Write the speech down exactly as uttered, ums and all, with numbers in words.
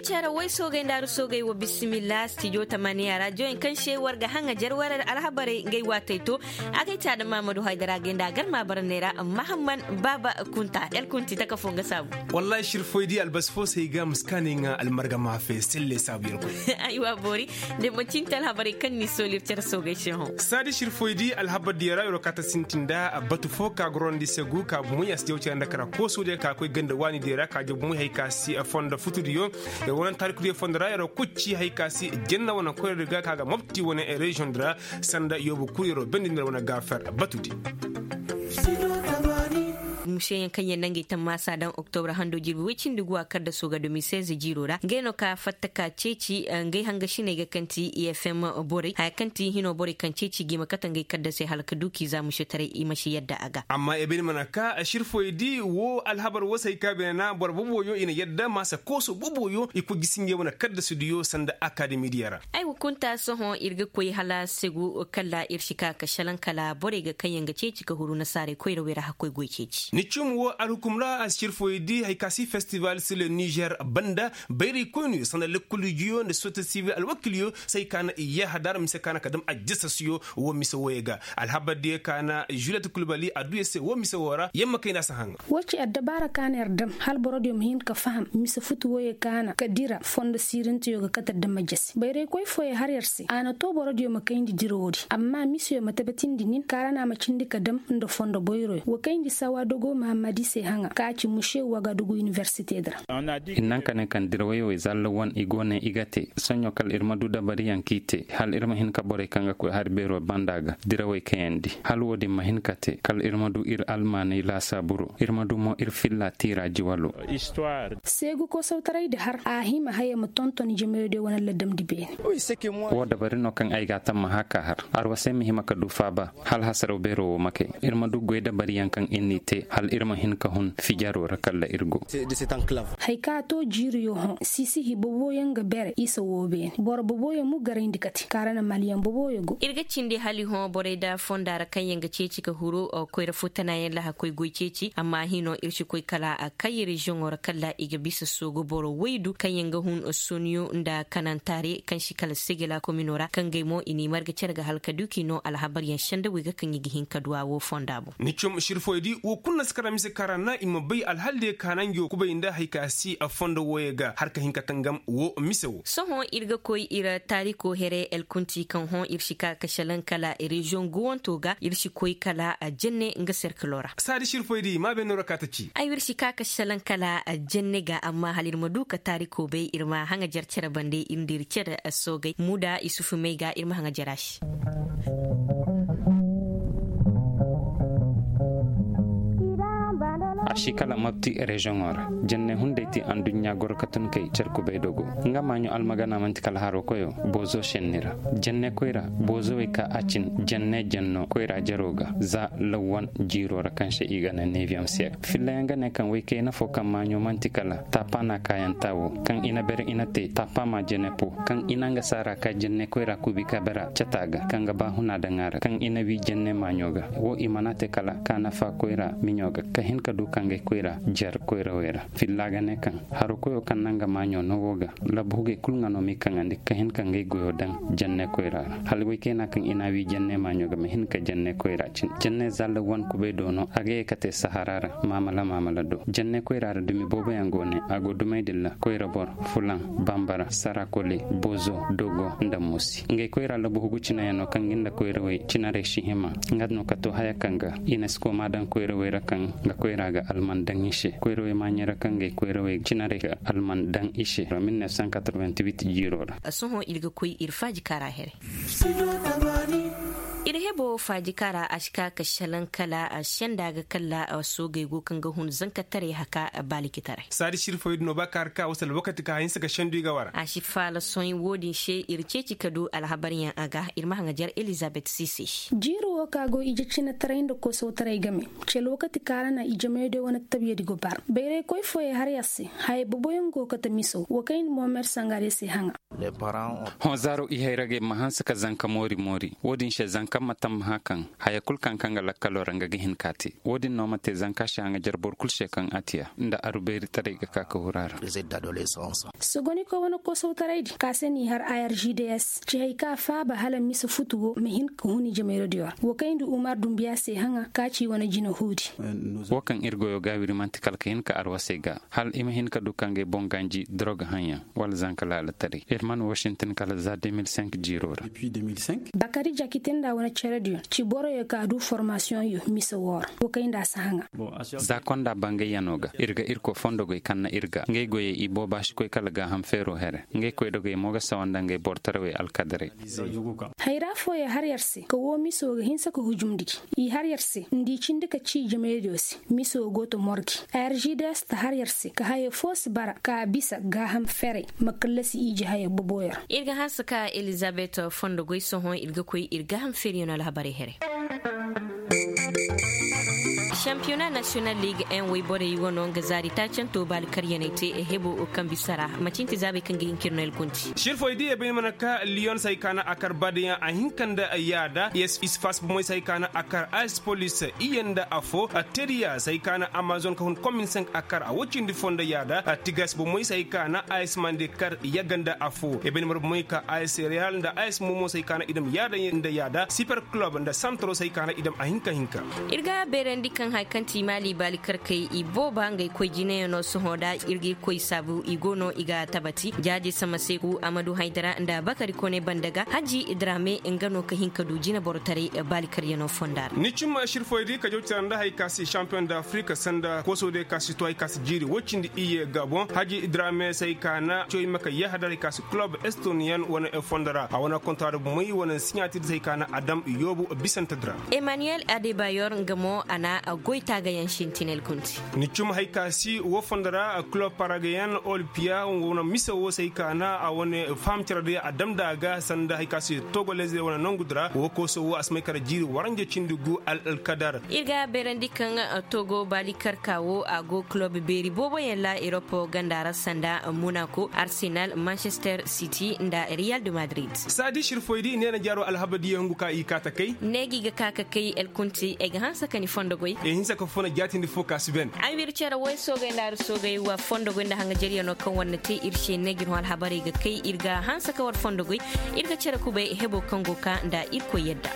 Cere way soogay nda aru soogay wa bisimilla stijo tamaniya ra joyin kaŋ se war ga haŋa jar war alhabarey ngay waatey to. Agay caada mahamadu haydara gay nda a gar ma bara neera mahamman baaba kunta el kunti taka fo nga saabu. Wallahi sir foy di albasi fo se ay ga ma si kaani ŋa almarga ma fe selle saabu yer koy. Aywa boori. De manci nte alhabarey kaŋ ni sooli ir cere soogay se hõ. Saadi sir foy di alhabar diya ra yer wo kaata sintin nda batu fo ka gorandi segu ka bumey a si jaw cere nda kara kooso diya ka koy ganda waani diya ra ka jaw bumey hay ka si fondo futu diyo. Yer wane taarikudiyo fondo ra yer wo kucci hay ka si jenna wane koyra di ga ka ga mobti wane reziyoŋ di ra. Sanda yoobu kul yer wo bendi nda wane gaafer batu di. Museyaŋ kaŋ yer na ngey tammaasa daŋ oktobra hando jirbi woy cindi guwa kaddaso ga domi seize jiiro ra ngey no ka fatta ka ceeci ngey hangasiney ga kaŋ ti i f m borey haya kaŋ ti hino borey kaŋ ceeci ga i ma kate ngey kaddasey hala ka du k'i za musetaray i ma si yadda a ga. Amma ebeni mana ka sirfoy di wo alhabar wo se ay ka beene na boro boboyo i na yadda maasa kooso boboyo i koy gisi ngey wane kaddasudiyo sanda akademi diya ra. Ay wa kunta sohõ ir ga koy hala segu kala ir si ka ka salaŋ kala borey ga kaŋ yaŋ ga ceeci ka huru nasaarey koyrawey ra hakkoy goy ceeci. Ni cum wo alhukum ra a si sirfoy di hay ka si festival si le nizer banda bayray koyniyo sanda lekkulijiyo nda sosiyete sivil alwakiliyo se ay ka na i yaaha daara mise ka na ka dam ajjasasiyo wo mise woyey ga. Alhabar diyo ka na juliet kulbali a du yer se wo mise wo ra yamma kayna si haŋa. Wo ci addabaara ka na yer dam hala borodiyo ma hin ka faham mise futu woyey ka na ka dira fondo siirinteyo ga kate dam ajjasi bayraykoy fooyey har yer se a na to borodiyo ma kayndi dira woodi amma miseyo ma tabatindi nin kaara na a ma cindi ka dam nda fondo boyroyo wa kayndi sawa dogo mahammadi se haŋa ka ci muse wagadugu iniversite di ra. Ir naŋ ka ne kaŋ dirawey wey zalla wan i go ne i ga te soɲõ kala ir ma du dabariyaŋ k'i te hala ir ma hin ka borey kaŋ ga koy hari beero banda ga dirawey kayandi hala wo-din ma hin ka te kala ir ma du ir almaaney laasaaburo ir ma du mo ir filla tiira jiwalo. Seegu kosawtaray di har a hima haya ma tonton jamayo de wane ladamdi beene. Wo dabari no kaŋ ay ga a tamma haka har arwasey ma hima ka du faaba hala hasaraw beero wo ma kay ir ma du goy dabariyaŋ kaŋ ir n'i te hala ir ma hin ka hun fijaro ra kala ir go. Hay ka to jiiriyo hõ sisihi boboyaŋ ga bere isa wo beene boro boboyaŋ mo garayndi kate kaara na maliyaŋ boboyaŋ go. Ir ga cindi hali hõ borey da fonda ra kaŋ yaŋ ga ceeci ka huru koyra fo tanayaŋ laha koy goy ceeci amma hino ir si koy kala a kay reziyoŋo ra kala i ga bisa soogu boro waydu kaŋ yaŋ ga hun soniyo nda kanantaare kaŋ si kala segela komino ra kaŋ gay mo i n'i marga cere ga hala ka du k'i no alhabaryaŋ sendawey ga kaŋ i ga hin ka du a wo fonda boŋ. Ni com sirfoy di wo kulu na si kara mise kara na i ma bay alhal diyo kaana ngi wo kubay nda hay ka si a fondo wooyey ga har ka hin ka tangam wo mise wo. Sohõ ir ga koy ir taariko here elkunti kaŋ hõ ir si ka ka šelaŋ kala reziyoŋ guwanto ga ir si koy kala jenne nga serkilo ra. Saadi sirfoy di ma beenoo ra ka ta ci. Ay ir si ka ka šelaŋ kala jenne ga amma hala ir ma du ka taariko bay ir ma haŋajer cere bande ir nda ir cere soogay muda isufu may ga ir ma haŋajer a se. A si kala mabti reziyoŋo ra jenne hunday ti anduɲɲa goro ka tun kay cer kubay dogo. Nga maaɲo almagana man'ti kala haro koyo boozo šenni ra. Jenne koyra boozowey ka a cin jenne jenno koyra jero ga za lawwan jiiro ra kaŋ se i ga ne neviyem siyek fillayaŋ ga ne kaŋ woy kayna fo kaŋ maaɲo man'ti kala taapa na kaayanta wo kaŋ i na bere i na te taapa ma jene po kaŋ i na nga saara ka jenne koyra kuubi ka bera cata ga kaŋ ga ba huna daŋ a ra kaŋ i na wi jenne maaɲo ga. Wo i mana te kala ka nafa koyra miɲo ga ka hin ka du ka ngey koyra jer koyrawey ra filla ga ne kaŋ haro koyo kaŋ na nga maaɲo no wo ga labu hugey kulu nga no m'i kaŋandi ka hin ka ngey goyo daŋ jenne koyra ra hala woy kayna kaŋ i na wi jenne maaɲo ga ma hin ka jenne koyra cin jenne zalla wan kubay do no a ga ye ka te sahara ra maamala maamala do jenne koyra ra dumi booboyaŋ go ne a go dumey dilla koyra boro fulaŋ bambara sarakole bozo dogo nda musi ngey koyra labu hugu cinayaŋ no kaŋ ga nda koyrawey cinarey si hima nga no ka to haya kaŋ ga i na si koma daŋ koyrawey ra kaŋ nga koyra ga alman daŋ i se koyrawey maaɲey ra kaŋ ngey koyrawey cinarey ga alman daŋ i se mil neuf cent quatre-vingt-huit jiiro ra. Sohõ ir ga koy ir faaji kaara here. Ir hebo faaji kaara a si ka ka šelaŋ kala senda ga kala soogey go kaŋ ga hun zankataray haka baalikitaray. Saadi sirfoy din no ba ka har ka wasa alwakati ka hinsa ga sendu i ga wara. A si faala sohõ wo-din se ir ceeci ka du alhabaryaŋ a ga ir ma haŋajer elizabet sise. Jiiri wo ka go ije cinataray nda kosawtaray game. Ci alwakati ka ra na ijemayo day wane tabiyadi go bar bayraykoy fooyey har yer se. Haya boboyaŋ go kate miso wa kayndi mohamed sangare se haŋa. Hõ zaaro i hayragey ma hanse ka zanka moori moori wo-din se zanka ma. Amma hã kaŋ haya kul kaŋ kaŋ ga lakkaloo ra nga ga hin k'a te. Wo-din no ma te zanka se a ŋa jare boro kul se kaŋ a tiya nda arubeeri taray ga ka ka huru a ra. Sogoniko wane kosow taray din ka se n'i har irgds ci hay ka faaba hala mise futu wo ma hin ka hun i jamayro diyo ra. Wo kayndi umar dumbiya se haŋa ka ci wane jina huudi. Wo kaŋ ir goyo ga wiri man'ti kala ka hin ka arwasey ga hala i ma hin ka du ka ngey boŋ ganji dorog haŋyaŋ wala zanka laalataray ir man washington kala za deux mille cinq jiiro ra. Bakari jakite nda wane cere diyo ci boroyo ka du formasiyoŋyo mise woo ra wo kay nda a si haŋa. Za konda bangayyanoo ga ir ga irkoy fondogoy kaŋ na ir ga ngey goyey i booba si koy kala gaaham feeroo here. Ngey koydogey mo ga sawa nda ngey boro tarawey alkadaray. Hayra fooyo har yer se ka woo miso ga hinsa ka hujum nda gi. I har yer se nda i cindi ka cii jamaydiyo se. Miso go to morgi. Argds ta har yer se ka haya foo si bara ka bisa gaaham ferey ma kallasi ije haya boboyo ra. Ir ga hanse ka elizabet fondogoy sohõ ir ga koy ir gaaham ferey no alhabarey here. Sampiyona nasiyonal liig en woyborey wano nga zaari taacanto baali karyaney te hebo kambi sara macin ti zaabey kaŋ ga hin ka ir no el gunti. Sirfoy di ebay mana ka liyon se hay ka na a kar badeyaŋ a hinka nda yaada yes isfas bomey se hay ka na a kar ays polis iye nda afo. Teriya se hay ka na amazon ka hun komin senk a kar a woy cindi fo nda yaada. Tigas bomey se hay ka na ays mande kar yaga nda afo ebay mana bomey ka ays reyal nda ays momo se hay ka na i dam yaada nda yaada siper kulob nda santro se hay ka na i dam a hinka hinka. Ir ga beerandi kaŋ haya kaŋ ti maali baali karkey i booba ngey koy jinayaŋo sohõ da ir ga ir koy saabu i go no i ga tabati jaaje sama se ku amadu haydara nda bakari kone banda ga haji drame nga no ka hin ka du jina borotaray baali karyaŋo fonda ra. Ni cim sirfoy di ka jaw cira nda hari ka si sampiyoŋ da afirika sanda koosoo day ka si to hari ka si jiiri woy cindi iyye ga boŋ haji drame se hari ka na coy maka yahadar hari ka si kulob estoniyaŋ wane fondo ra a wane kontra da bomey wane siɲatir se hari ka na a dam yoobu bisante di ra. Emmanuel adebayor nga mo a na a goy taagayaŋ sintinel gunti. Ni cum hari ka si wo fondo ra kulob paragayaŋ olimpiya nga wane mise wo se hari ka na a wane faham cere day a dam nda a ga sanda hari ka si togolez wane nangu di ra wo kooso wo a si may kala jiiri waranja cindi gu alkadar. Ir ga beerandi kaŋ togo baali karka wo a go kulob beeri booboyaŋ ra erop ganda ra sanda monako arsenal manchester city nda real de madrid. Saadi sirfoy di neena jaaro alhaba diya hungu ka i kaa takay. Neegi ga ka ka kay elkunti ay ga hanse ka ni fondo goy. Ay hinse ka funa jaatindi fo ka si ben. Ay wir cere woy soogay nda ar soogay wa fondo goy nda hanga jariyano kaŋ war na te ir se neegi no alhabarey ga kay ir ga hanse ka war fondo goy. Ir ga cere kubay hebo kaŋ go ka nda ir koy yadda.